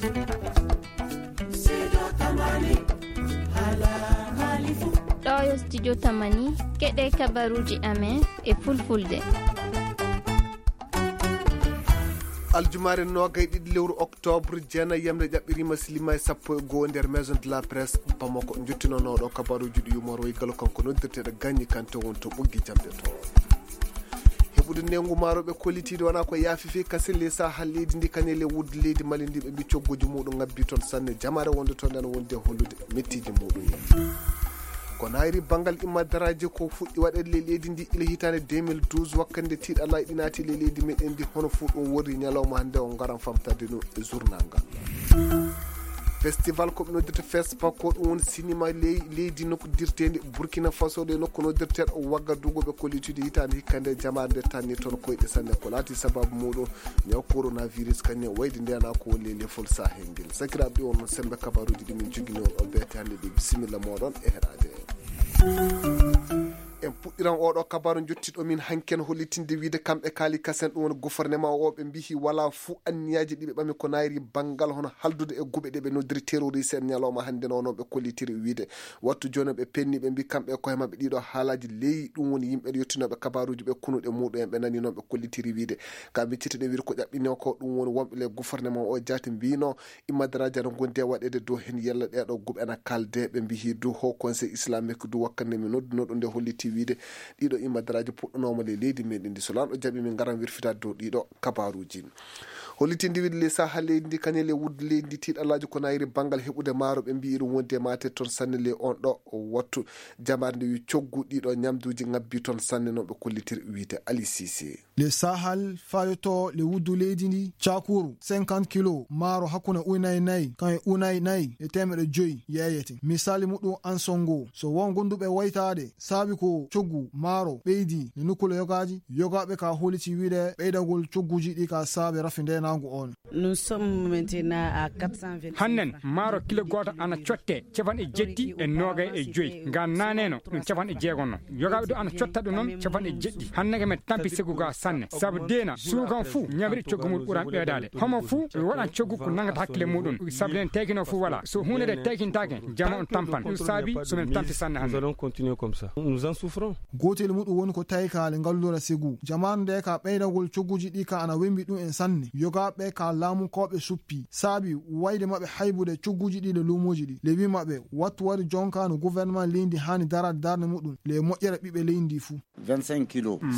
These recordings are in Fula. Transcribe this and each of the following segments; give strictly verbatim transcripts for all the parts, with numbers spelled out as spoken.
Ɗo yo studio Tamani, keɗe kabaruuji amen e fulfulde. Aljumaare noogay ɗiɗi lewru octobre, jeenayi yamre ƴaɓɓiriima, silima e sappo e goo nder Maison de la Presse Bamako. Njottinooɗo kabaruuji ɗi Umar Way Galo, kanko noddirteeɗo Gañi Kante, won to ɓoggi jamɗe to. Heɓude neengu maaroɓe kollitiiɗo wonaa ko yaafi fii kasen ley sahaa leydi ndi, kañe ley wuddu leydi Mali ndi, ɓe mbi cogguji muɗum ngabbi toon sanne. Jamaare wonde toon nden wonde hollude mettiiji muɗum en. Ko naayri banngal immadaraaji ko fuɗɗi waɗeede ley leydi ndi ila hitaande deux mille douze, wakkande tiiɗalaaji ɗi naati ley leydi meɗen ndi, hono fuu ɗum woni ñalawma hannde o ngaran famtade ɗum e journal ngal. Festival ko ɓe noddirta Fespa, ko ɗum woni sinima ley leydi nokku dirteendi Burkina Faso, ɗe nokku noddirteeɗo Wagadugu, ɓe kollitude hitaande hikka nde jamaare nde tanni toon koyɗe sanne ko laati sababu muɗum ñaw coronavirus, kañum wayde ndenaa ko woni ley lefol Sahel ngel. Sakiraaɓe, ɗi won sembe kabaruuji ɗi min jogini on o beete hannde ɗi. Bisimilla mooɗon e heɗaade. En puɗɗiran oɗo kabaru jottiɗo min hanken hollitinde wiide kamɓe kaali kasen ɗum woni gouvernement o ɓe mbihi wala fuu anniyaaji ɗi ɓe ɓami ko naayri banngal hono haldude e guɓe ɗe ɓe noddiri terroriste en ñalawma hannde no, no ɓe kollitiri wiide wattu jooni ɓe penni ɓe mbi kamɓe e koye maɓɓe ɗiɗo haalaaji ley ɗum woni yimɓe yottinooɓe kabaruuji ɓe kunuɗe muɗum en ɓe nani noon ɓe kollitiri wiide ka miccito ɗe wiide ko ƴaɓɓinoo ko ɗum woni wonɓe ley gouvernement o jaati mbino Immadaraaji ana ngondi e waɗeede dow heen yalla ɗeeɗoo guɓe ana kaalde. Ɓe mbiyi du Haut Conseil Islamique du wakkande mi nodduno ɗum nde holliti wiide ɗiɗo immadaraaji puɗɗanooma ley leydi meɗen ndi. So lanɗo jaɓi min ngaran wirfitaade dow ɗiɗo kabaruuji. Hollitinde wiide ley sahaa leydi ndi kañum ley wuddu leydi ndi tiiɗalaaji ko nayri banngal heɓude maaro ɓe mbiyi ɗum wondi e maate toon sanne ley on ɗo wattu. Jamaare nde wi coggu ɗiɗo ñamduuji ngabbi toon sanne no ɓe kollitiri wiide Ali Cissé. Le Sahel fayoto le wuddu leydi ndi cakuru cinquante kilo maaro hakkunde unayi nayi kan e unayi nayi e temeɗe joyi yeeyete. Misali muɗum ansongo so won gonduɓe waytaade saabi ko coggu maaro ɓeydi e nukkule yogaaji, yogaaɓe ka holiti wiide ɓeydagol cogguji ɗi ka saabe rafi ndenaangu on. Nous sommes maintenant à quatre cent vingt. Hannen maaro kilo gooto ana cotte capanɗe jetti e noogay e joyi. Ngan naaneno ɗum capanɗe jeegonno. Yogaaɓe ɗo ana cotta ɗum noon capanɗe jeɗɗi. Hannde ko men tampi segu ga sanne. Sabu deena suukan fuu ñamri coggu mum ɓuran ɓeedaade. Homo fuu waɗan coggu ko nangata hakkille muɗum. Sabu den taykino fuu wala. So huunde de taykintaake, jama on tampan. Ɗum saabi so men tampi sanne hannde. Nous allons continuer comme ça. Nous en souffrons. Gootel muɗum woni ko taykaale ngallura segu. Jamaanu nde ka ɓeydagol cogguji ɗi ka ana wembi ɗum en sanne. Yogaaɓe ka laamu ko ɓe suppi. Saabi wayde maɓɓe haybude cogguji ɗi le luumooji ɗi. Le wi maɓɓe wattu wari jonka no gouvernement leydi haani daraade darnde muɗum. Le moƴƴere ɓiɓɓe leydi ndi fuu.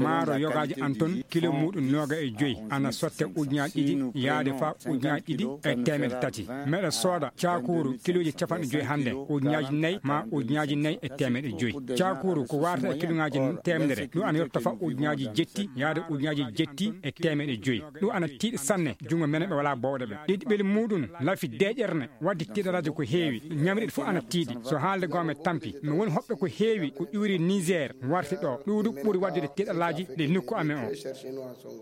Maaro yogaaji an ton kilo muɗum nooga e joyi ana sotte ujunaaji ɗiɗi yaade faa ujunaaji ɗiɗi e teemedde tati. Meɗa sooda caakuuru kilooji capanɗe joyi hannde ujunaaji nayi maa ujunaaji nayi e teemedde joyi. Caakuuru ko warata e kilooŋaaji teemedere ɗum ana yotta faa ujunaaji jetti yaade ujunaaji jetti e teemedde joyi. Ɗum ana tiiɗi sanne junngo menen ɓe walaa bowɗe ɓe ɗiɗi ɓeli muɗum lafi deeƴerne. Wadde tiiɗalaaji ko heewi, ñamriiɗi fof ana tiiɗi. So haalde goo mi tampi, mi woni hoɓɓe ko heewi ko ƴuuri Niger warti ɗo. Ɗuuɗu ɓuri waddude tiiɗalaaji ɗe nokku amen o.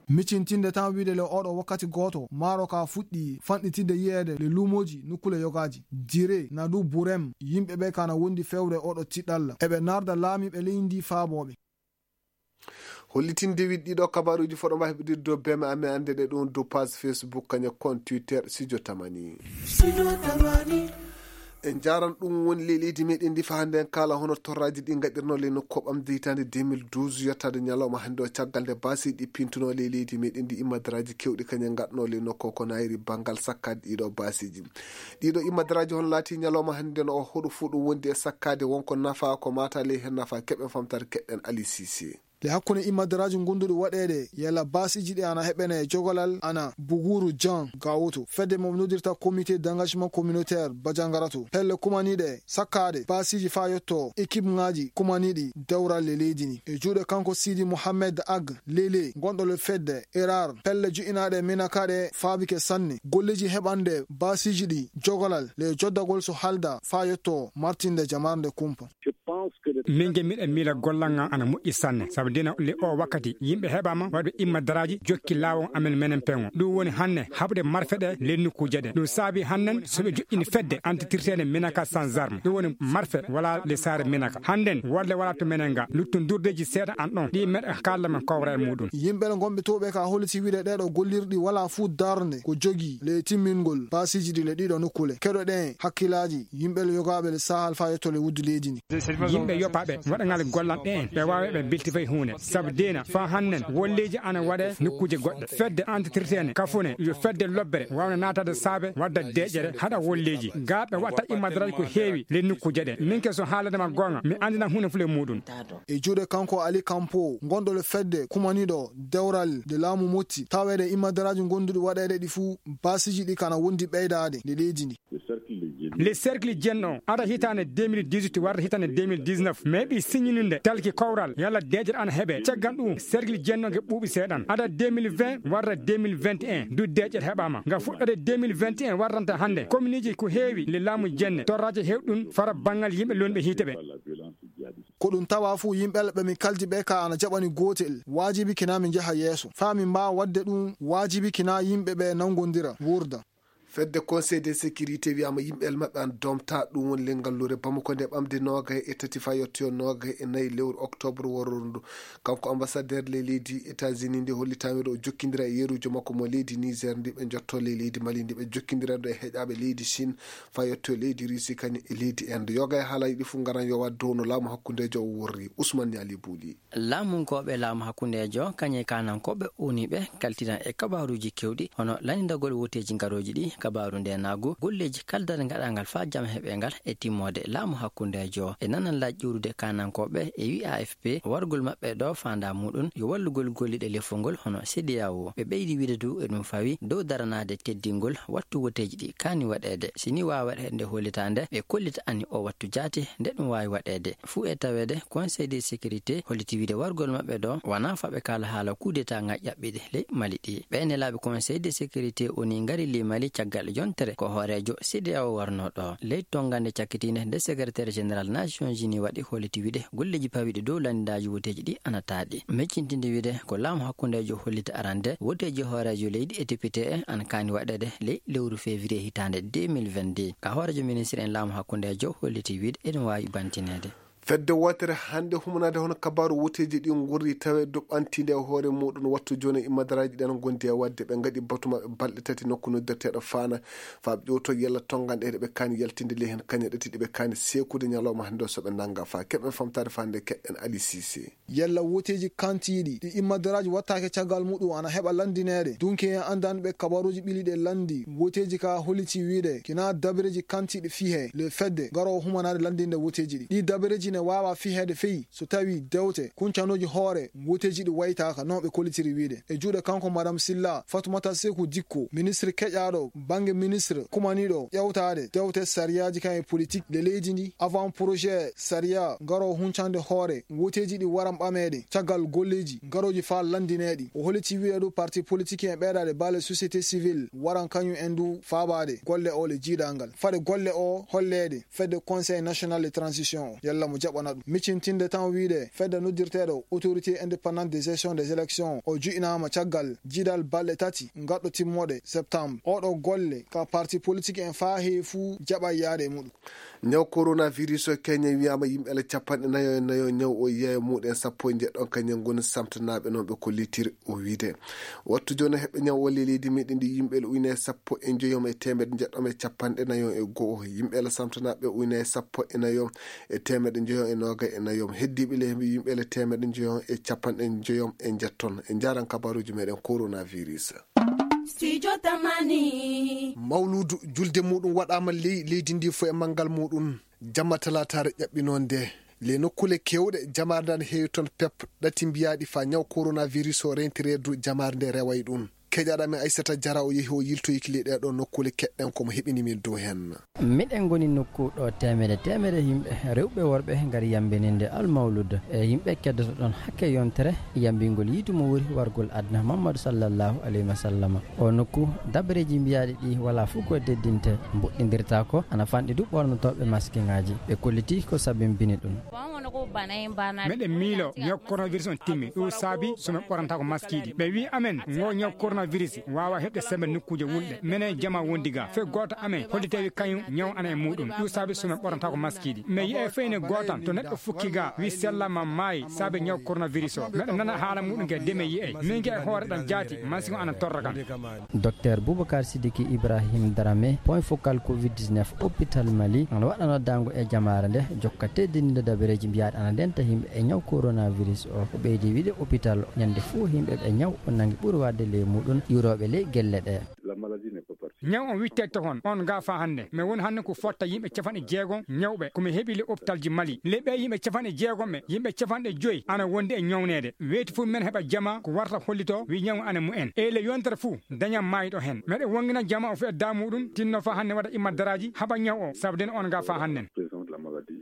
Micintinde tan wiide le oɗo wakkati gooto, maaro ka fuɗɗi fanɗitidde yiyeede le luumooji nokkule yogaaji. Dire, Nadu, Burem, yimɓe ɓe kana wondi fewre oɗo tiɗalla. Eɓe narda laamiiɓe leydi ndi faabooɓe. Hollitinde wiɗɗi ɗo kabaruuji foɗo mba heɓidirde dow beme amen annde ɗe ɗum dow page Facebook kañe compte Twitter Studio Tamani. En njaran ɗum woni ley leydi meɗen ndi fa hannde en kaala hono torraji ɗi gaɗirno ley nokku ɓamde hitaande deux mille douze yottaade ñalawma hannde o caggal nde basiiji ɗi pintuno ley leydi meɗen ndi immadaraaji kewɗi kañe gaɗno ley nokku ko nayri banngal sakkaade ɗiɗo basiiji. Ɗiɗo immadaraaji hono laati ñalawma hannde no o hoɗo fuu ɗum wondi e sakkaade wonko nafa ko mata ley heen nafa keɓen famtare keɓɗen Ali Cissé. Le hakkunde immadaraaji gonduɗi waɗeede yalla basiiji ɗi ana heɓene e jogolal ana Buguru Jan Gawoto fedde mo noddirta comité d'engagement communautaire Bajangarato pelle kumaniiɗe sakkaade basiiji faa yotto équipe ŋaaji kumaniiɗi dewral le leydi ndi e juuɗe kanko Sidi Mohamed Ag Lele gonɗo le fedde Erar pelle jo'inaaɗe minakaɗe faabike sanne golleji heɓande basiiji ɗi jogolal le joddagol so halda faa yotto martinde jamarnde kumpa. Min ge miɗa miila gollal ngal ana moƴƴi sanne, sabu dina le o wakkati yimɓe heɓaama waɗɓe imma daraaji jokki laawol amen menen peŋo. Ɗum woni hannde haɓde marfe ɗe ley nokkuuje ɗe. Ɗum saabi hannden so ɓe joƴƴini fedde antitirteende Minaka sans arme. Ɗum woni marfe wala le saare Minaka. Hannden wolle wala to menen ga. Luttundurdeeji seeɗa an ɗon. Ɗi meɗa kaalda men kowra e muɗum. Yimɓe le gonɓe towɓe ka holliti wiide ɗeɗo gollirɗi wala fuu darnde ko jogi le timmingol paasiiji ɗi le ɗiɗo nokkule. Keɗoɗen hakkilaaji yimɓe le yogaaɓe le sahal faa yetto le wuddu leydi ndi. Yimɓe yoppaaɓe waɗangal gollal ɓeen ɓe waawa ɓe bilti fay huunde. Sabu deena faa hannden wolleeji ana waɗe nokkuuje goɗɗe. Fedde antitirteene kafune yo fedde lobbere waawna naataade saabe wadda deeƴere haɗa wolleeji. Gaa ɓe watta immadaraaji ko heewi le nokkuuje ɗe. Min ke so haalande ma goonga mi anndinan huunde fule muɗum. E juuɗe kanko Ali Kampo, gonɗo le fedde kumaniiɗo dewral de laamu motti, taweede immadaraaji gonduɗi waɗeede ɗi fuu, baasiiji ɗi kana wondi ɓeydaade nde leydi ndi. Le cercle jenno ada hitande deux mille dix-huit warde hitande deux mille dix-neuf, mais ɓi signinde talki kowral yalla deeƴere ana heɓe. Caggal ɗum cercle jenno ge ɓuuɓi seeɗan ada deux mille vingt warde deux mille vingt et un du deeƴere heɓama nga fuɗɗode deux mille vingt et un wardanta hannde. Kominiiji ko heewi le laamu jenne torraje hewɗum fara banngal yimɓe lonɓe hiite ɓe. Ko ɗum tawa fuu yimɓe ɓe mi kaldi ɓe ka ana jaɓani gootel waajibi kina mi njaha yeeso faa mi mbaawa waɗde ɗum waajibi kina yimɓe ɓe nangondira wuurda. Fedde conseil de sécurité wiyama yimɓe el maɓɓe an domta ɗum woni lengal lure bamako nde ɓamde noogay e tati fayottoyo noogay e nayi lewru octobre wororundu. Kanko ambassadeur le leydi états-unis nde hollitami ɗo o jokkindira e yerujo makko mo leydi niger ndi ɓe jotto le leydi mali ndi ɓe jokkindira ɗo e heƴaɓe leydi chine fayottoyo leydi russie kañum e leydi inde yoga e haalaji ɗi fof ngaran yowa dow no laamu hakkundejo o worri. Ousmane Niali Bouli. Laamunkooɓe laamu hakkundeejo kañe kaanankooɓe uniiɓe kaltinan e kabaaruuji keewɗi hono lanndagol woteeji ngarooji ɗi, kabaaru ndeenaagu, golleeji kaldal ngaɗangal faa jam heɓe ngal e timmoode laamu hakkundeejo. E nananlaaji ƴuurude kaanankooɓe e wi A F P wargol maɓɓe ɗo faandaa muuɗum yo wallugol golliiɗe lefol ngol hono C D A O. Ɓe ɓeydi wiide du e ɗum fawi dow daranaade teddingol wattu woteeji ɗi kaani waɗeede. Si ni waawa waɗeede nde hollitaande ɓe kollita ani o wattu jaati nde ɗum waawi waɗeede. Fuu e taweede conseil de sécurité holliti wiide wargol maɓɓe ɗo wonaa faa ɓe kaala haala coup d'état nga ƴaɓɓiɗi ley mali ɗi. Ɓee nelaaɓe conseil de sécurité woni ngari ley mali caggal yontere ko hooreejo C D A O warnoo ɗo. Ley tonngande cakkitiinde nde secrétaire général nations unies waɗi holliti wiide golleeji pawiiɗi dow lanndaaji woteeji ɗi ana taaɗi. Miccintinde wiide ko laamu hakkundeejo hollita arande woteeji hooreejo leydi e député en ana kaani waɗeede ley lewru février hitaande deux mille vingt-deux. Ka hooreejo ministre en laamu hakkundeejo holliti wiide eɗum waawi bantineede. Fedde wootere hannde humanaade hono kabaaru woteeji ɗi ngurri tawe doɓɓantiinde e hoore muɗum wattu jooni e immadaraaji ɗen ngondi e waɗde ɓe ngaɗi batu maɓɓe balɗe tati nokku noddirteeɗo faana faa ɓe ƴewto yalla tonnganɗe ɗe ɓe kaani yaltinde ley heen kañe ɗati ɗi ɓe kaani seekude ñalawma hannde o so ɓe nannga faa keɓen famtaade faa nde keɗɗen Ali Sise. Yalla woteeji kantiiɗi ɗi immadaraaji wattaake caggal muɗum ana heɓa lanndineede. Dunke en anndanɓe kabaruuji ɓiliiɗe lanndi woteeji ka holliti wiide kina dabareeji kantiiɗi fihe le fedde garoowo humanaade lanndinde woteeji ɗi. Ɗi dabareeji ne waawa fiheede fey so tawi dewte kuncanooji hoore woteeji ɗi waytaaka no ɓe kollitiri wiide. E juuɗe kanko Madame Silla, Fatoumata Seku Dikko, ministre keƴaaɗo bannge ministre kumaniiɗo ƴewtaade dewte sariyaaji kan e politik le leydi ndi, avant projet sariya garoowo huncande hoore woteeji ɗi waran ɓameede caggal golleeji garooji faa lanndineeɗi. O holliti wiide ɗo parti politik en ɓeydaade baale société civile waran kañum en du faabaade golle o le jiidangal. Fade golle o holleede fedde conseil national de transition o yalla mo jaɓana ɗum. Miccintinde tan wiide fedde noddirteeɗo autorité indépendante de gestion des élections o ju'inaama caggal jiidal balɗe tati ngaɗɗo timmoɗe septembre. Oɗo golle ka parti politik en faa heewi fuu jaɓa yaade e muɗum. Ñaw coronavirus o Kenya wiyaama yimɓe ala capanɗe nayo e nayo ñaw o yeeya muɗum sappo e njeɗɗon kañum ngoni samtanaaɓe noon ɓe kollitiri o wiide. Wattu jooni heɓɓe ñaw o ley leydi meɗen ndi yimɓe ujunere sappo e njoyom e teemedde njeɗɗom e capanɗe nayo e go'o. Yimɓe ala samtanaaɓe ujunere sappo e nayo e teemedde njoyom e noogay e nayo. Heddiiɓe ley yimɓe ala teemedde njoyom e capanɗe njoyom e njeɗɗon. E njaaran kabaaruuji meɗen coronavirus. Studio Tamani. Mawluudu julde muɗum waɗaama ley leydi ndi fof e manngal muɗum. Jamma talaataare ƴaɓɓinoonde le nokkuule keewɗe jamaare nde ana heewi toon pep ɗati mbiyaaɗi faa ñaw coronavirus o rentireedu jamaare nde reway ɗum. Keƴaaɗo amen Aissata Diarra o yehi o yiltoyiki le ɗeeɗo nokkuule keɗɗen ko mo heɓini min dow heen. Miɗen ngoni nokku ɗo teemedde teemedde yimɓe rewɓe worɓe ngari yambininde almawlud e yimɓe keddoto ɗon hakke yontere yambingol yiitu mo wuri wargol aduna Muhammadu sallallahu alayhi wa sallam. O nokku dabareeji mbiyaaɗi ɗi wala fof ko teddinte mboɗɗindirtaako ana fanɗi du ɓornotooɓe maskiŋaaji ɓe kolliti ko sabimbini ɗum. Meɗen miilo ñaw coronavirus on timmi, ɗum saabi so men ɓornataako maskiiji. Ɓe wi'i amen ngo ñaw coronavirus waawa heɓde sembe nokkuuje wulɗe. Menen jama wondi ga, fe gooto amen hollitewi kañum ñaw ana e muɗum. Ɗum saabi so men ɓornataako maskiiji. Men yi'e feyne gootan to neɗɗo fukki ga wi sellama maayi saabe ñaw coronavirus o. Meɗen nana haala muɗum ge de men yi'e. Min ge e hoore ɗan jaati, masiŋ o ana torra kan. Docteur Boubacar Sidiki Ibrahim Dramé, point focal covid dix-neuf hôpital Mali, ana waɗa noddaango e jamaare nde, jokka teddininde dabareeji mbiyaaɗi ana ndenta yimɓe e ñaw coronavirus o. O ɓeydi wiide hôpital o, ñande fuu yimɓe ɓe ñaw o nangi ɓuri waɗde ley muɗum iwrooɓe ley gelle ɗe. Ñaw on wittete hon, on ga fa hannde. Men woni hannde ko fotta yimɓe capanɗe jeegom ñawɓe, ko mi heɓi le hôpital ji Mali. Le ɓe yimɓe capanɗe jeegom ɓe, yimɓe capanɗe joyi ana wondi e ñawneede. Weeti fof men heɓa jama ko warta hollito wi ñaw ana mumen. E le yontere fof daña maayɗo hen. Meɗe wongina jama o fof e damuɗum, tinno fa hannde waɗa imma daraaji, haɓa ñaw o, sabu den on ga fa hannden.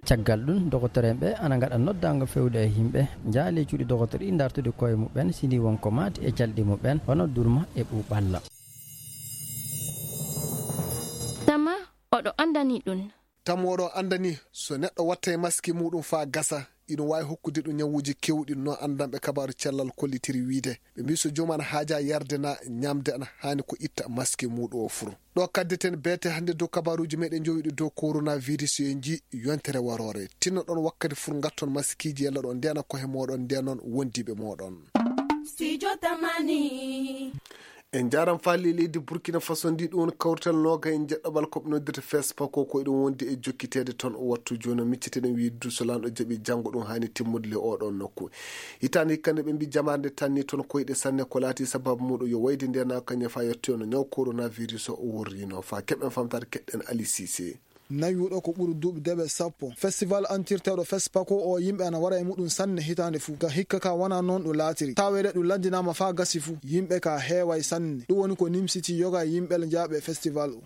Caggal ɗum, dogotoreeɓe ana ngaɗa noddaango fewde e yimɓe, njaale cuuɗi dogotor ɗi dartude koye muɓɓen, sini won ko maati e calɗi muɓɓen, hono durma e ɓuuɓalla. Tama oɗo anndani ɗum. Tama oɗo anndani, so neɗɗo watta e maski muɗum faa gasa, iɗum waawi hokkude ɗum ñawuuji keewɗi, no anndanɓe kabaaru cellal kollitiri wiide. Ɓe mbii so joomum ana haaja yarde na ñamde, ana haani ko itta maski muɗum o fur. Ɗo kaddeten beete hannde dow kabaaruuji meɗen jowiɗi dow coronavirus, yo en njii yontere waroore. Tinno ɗon wakkati fur ngatton maskiiji yalla ɗon ndena kohe moɗon, ndenon wondiiɓe moɗon. Studio Tamani. En njaram faali leydi Burkina Faso ndi, ɗum woni kawrital nooga e njeɗɗo ɓal ko ɓe noddirta fespa ko, ko eɗum wondi e jokkiteede toon o wattu jooni. Micciteɗen wiide duuso lanɗo jaɓi janngo ɗum haani timmude le oɗo nokku. Hitaande hikka nde ɓe mbi jamaare nde tanni toon koyɗe sanne ko laati sababu muɗum yo wayde ndenaa kañe fa yettoyono ñaw coronavirus o wurrino fa. Keɓen famtaade keɗɗen Ali Cissé. Nawi wuɗo ko ɓuri duuɓi deɓe sappo. Festival antirteeɗo Fespako o yimɓe ana wara e muɗum sanne hitaande fuu. Ka hikka ka wona noon ɗum laatiri. Taweede ɗum lanndinaama faa gasi fuu. Yimɓe ka heeway sanne. Ɗum woni ko nimsiti yoga e yimɓe njaaɓe festival o.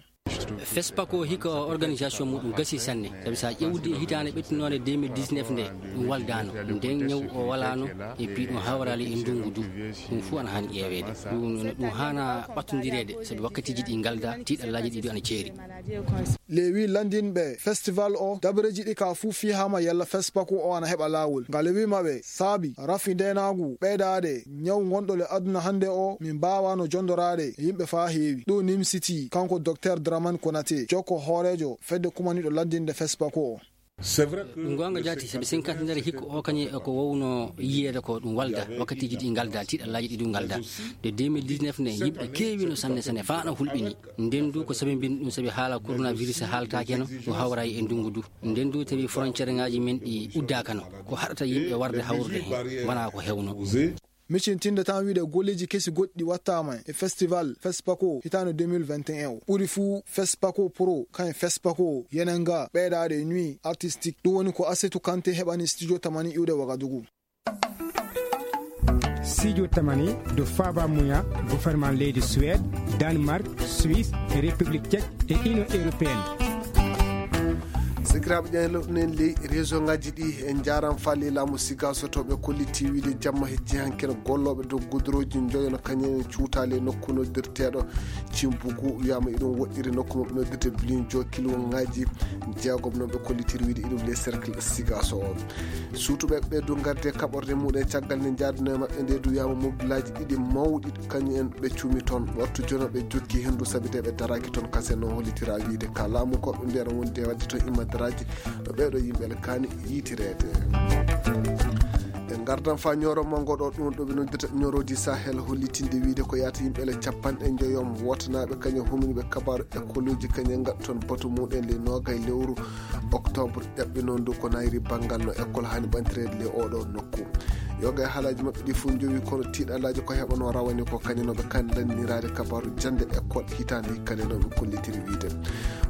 Fespako hikka o organisation muɗum gasi sanne. Sabi sa ƴewdi e hitaande ɓettinoonde deux mille dix-neuf nde, ɗum waldaano. Nden ñaw o walaano e pi ɗum hawraali e ndungu du. Ɗum fuu ana haani ƴeeweede. Ɗum, ɗum haana ɓattondireede, sabi wakkatiiji ɗi ngalda, tiiɗallaaji ɗi du ana ceeri. Lewi lanndinɓe festival o, dabareeji ɗi ka fuu fihaama yalla Fespako o ana heɓa laawol. Nga lewi maɓɓe saabi rafi ndeenaagu ɓeydaade ñaw ngonɗo le aduna hannde o, min mbaawaano jonndoraade e yimɓe faa heewi. Ɗum nimsiti kanko Docteur Dramane Konaté, jokko hooreejo fedde kumaniiɗo lanndinde Fespako o. Ɗum goonga jaati, sabi cinquantenaire hikka o kañum e ko wowno yiyeede ko ɗum walda, wakkatiiji ɗi ngalda, tiiɗallaaji ɗi ɗum ngalda. De deux mille dix-neuf ne, yimɓe keewino sanne sanne, faa no hulɓini. Nden du ko sabi mbin ɗum, sabi haala coronavirus haaltaakeno, ɗum hawrayi e ndungu du. Nden du tawi frontière ngaaji men ɗi uddaakano, ko haɗata yimɓe warde hawrude heen, wonaa ko hewno. Micintinde tan wiide golleeji kesi goɗɗi wattaama e festival Fespako hitaande deux mille vingt et un o. Ɓuri fuu Fespako Pro, kañum Fespako Yenenga, ɓeydaade e nuit artistique. Ɗum woni ko Asetu Kante heɓani studio Tamani iwde Wagadugu. Studio Tamani, do faaba muya, gouvernement leydi Suède, Danemark, Suisse, e République Tchèque, e Union Européenne. Sikiraaɓe ƴeeloɗen ley région ngaji ɗi, en njaram faali laamu Sigaso to ɓe kolliti wiide jamma hejji hankin gollooɓe dow gudurooji njoyo no kañum en cuutaali e nokku noddirteeɗo Cimbugu, wiyaama iɗum woɗɗiri nokku maɓɓe noddirte Bilinjo, kilwo ngaji jeegom noon ɓe kollitiri wiide iɗum les cercle Sigaso o. Suutuɓe ɓe du ngarde kaɓorde muɗum caggal nde njaadunoo e maɓɓe nde du, wiyaama mobilaaji ɗiɗi mawɗi kañum en ɓe cuumi toon. Wattu jono ɓe jokki henndu sabi de ɓe daraaki toon kasen no hollitira wiide ka laamu ko ɓe mbiyata wonde wadde toon imma daraaji no ɓeeɗo yimɓe le kaani yiitireede. En ngardan faa ñooro manngo ɗo ɗum ɗo ɓe noddirta ñoorooji Sahel hollitinde wiide ko yaata yimɓe le capanɗe njoyom wootanaaɓe kañum humniiɓe kabaaru écologie kañum ngaɗa toon batu muɗum le noogay lewru octobre ƴaɓɓinoo ndu ko nayri banngal no école haani ɓantireede le oɗo nokku. Yoga e haalaaji maɓɓe ɗi fof njowi kono tiiɗalaaji ko heɓanoo rawane ko kañum no ɓe kaani lanniraade kabaaru jannde école hitaande hikka nde no ɓe kollitiri wiide.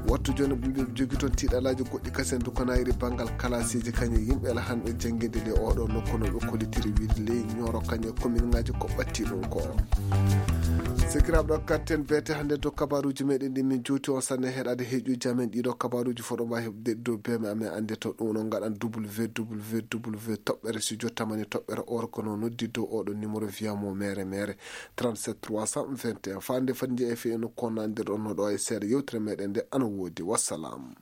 Wattu jooni ɓe mbi ɓe jogi toon tiiɗalaaji goɗɗi kasen du ko nayri banngal kalaasiiji kañum yimɓe ala han ɓe jannginde le oɗo nokku no ɓe kollitiri wiide ley ñooro kañum e commune ngaji ko ɓatti ɗum ko. Sikiraaɓe ɗo katten beete hannde dow kabaaruuji meɗen ɗi min juuti on sanne heɗaade heeƴuji amen ɗiɗo kabaaruuji fof ɗo mbawi heɓde dow beme amen annde to ɗum no ngaɗan www toɓɓere studio tamani toɓɓere org no noddi dow oɗo numéro wiya mo mere mere trente-sept trois cent vingt et un fande fadde e fe no konnandirɗon no ɗo e seeɗa yewtere meɗen nde ana woodi wassalam.